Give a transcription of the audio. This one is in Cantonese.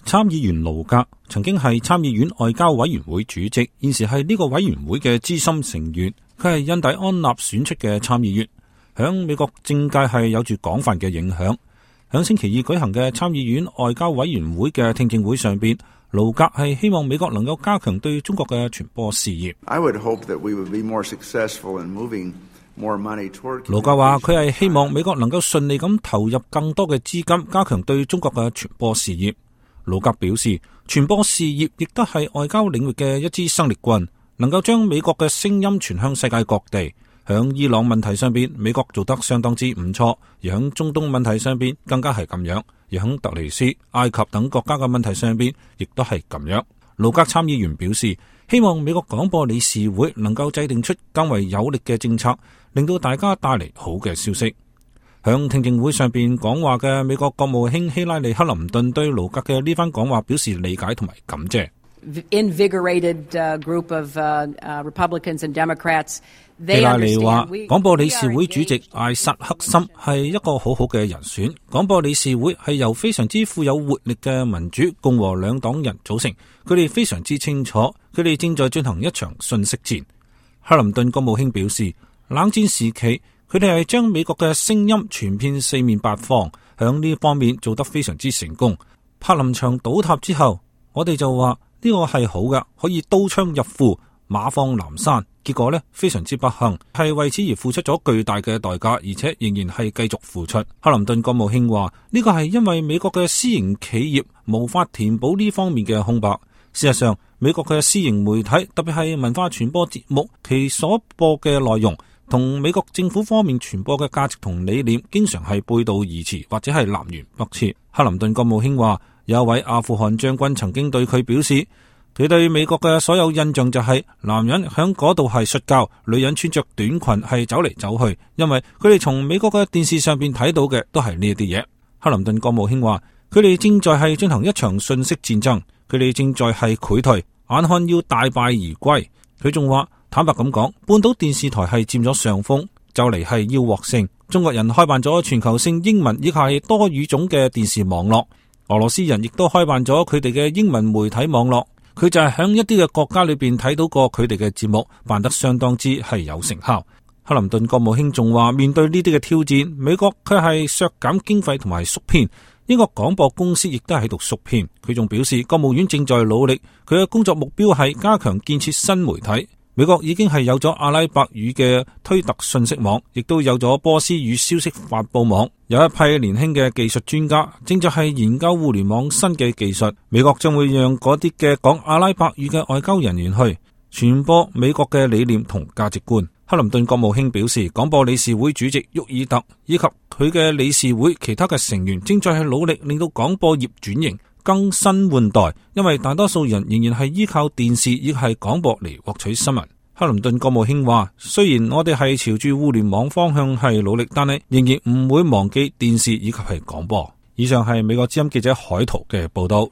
參議員盧格曾經係參議院外交委員會主席，現時係呢個委員會嘅資深成員。佢係印第安納選出嘅參議員，響美國政界係有住廣泛嘅影響。響星期二舉行嘅參議院外交委員會嘅聽證會上邊，盧格係希望美國能夠加強對中國嘅傳播事業。盧格話佢係希望美國能夠順利咁投入更多嘅資金，加強對中國嘅傳播事業。盧格表示，傳播事業亦都係外交領域嘅一支生力軍，能夠將美國嘅聲音傳向世界各地。響伊朗問題上邊，美國做得相當之唔錯；而響中東問題上邊，更加係咁樣；而響突尼斯、埃及等國家嘅問題上邊，亦都係咁樣。盧格參議員表示，希望美國廣播理事會能夠制定出更為有力嘅政策，令到大家帶嚟好嘅消息。響聽證會上邊講話嘅美國國務卿希拉里克林頓對盧格嘅呢番講話表示理解同埋感謝。希拉里話，廣播理事會主席艾薩克森係一個好好嘅人選。廣播理事會係由非常之富有活力嘅民主共和兩黨人組成，佢哋非常之清楚，佢哋正在進行一場信息戰。克林頓國務卿表示，冷戰時期佢哋係將美國嘅聲音傳遍四面八方，響呢方面做得非常之成功。柏林牆倒塌之後，我哋就話呢個係好嘅，可以刀槍入庫，馬放南山。結果呢，非常之不幸，係為此而付出咗巨大嘅代價，而且仍然係繼續付出。克林頓國務卿話，呢個係因為美國嘅私營企業無法填補呢方面嘅空白。事實上，美國嘅私營媒體，特別係文化傳播節目，其所播嘅內容同美國政府方面傳播嘅價值同理念，經常係背道而馳，或者係南轅北轍。克林頓國務卿話，有一位阿富汗將軍曾經對佢表示，佢對美國嘅所有印象就係男人響嗰度係摔跤，女人穿着短裙係走嚟走去，因為佢哋從美國嘅電視上邊睇到嘅都係呢一啲嘢。克林頓國務卿話，佢哋正在係進行一場信息戰爭，佢哋正在係潰退，眼看要大敗而歸。佢仲話，坦白咁講，半島電視台係佔咗上風，就嚟係要獲勝。中國人開辦咗全球性英文以及係多語種嘅電視網絡，俄羅斯人亦都開辦咗佢哋嘅英文媒體網絡。佢就係喺一啲嘅國家裏邊睇到過佢哋嘅節目辦得相當之係有成效。克林頓國務卿仲話，面對呢啲嘅挑戰，美國佢係削減經費同埋縮編，英國廣播公司亦都係喺度縮編。佢仲表示，國務院正在努力，佢嘅工作目標係加強建設新媒體。美國已經係有咗阿拉伯語嘅推特信息網，亦都有咗波斯語消息發佈網。有一批年輕嘅技術專家正在係研究互聯網新嘅技術。美國將會讓嗰啲嘅講阿拉伯語嘅外交人員去傳播美國嘅理念同價值觀。克林頓國務卿表示，廣播理事會主席沃爾特以及佢嘅理事會其他嘅成員正在係努力令到廣播業轉型更新換代，因為大多數人仍然係依靠電視亦係廣播嚟獲取新聞。克林頓國務卿話，雖然我哋係朝住互聯網方向係努力，但係仍然唔會忘記電視以及係廣播。以上係美國之音記者海濤嘅報道。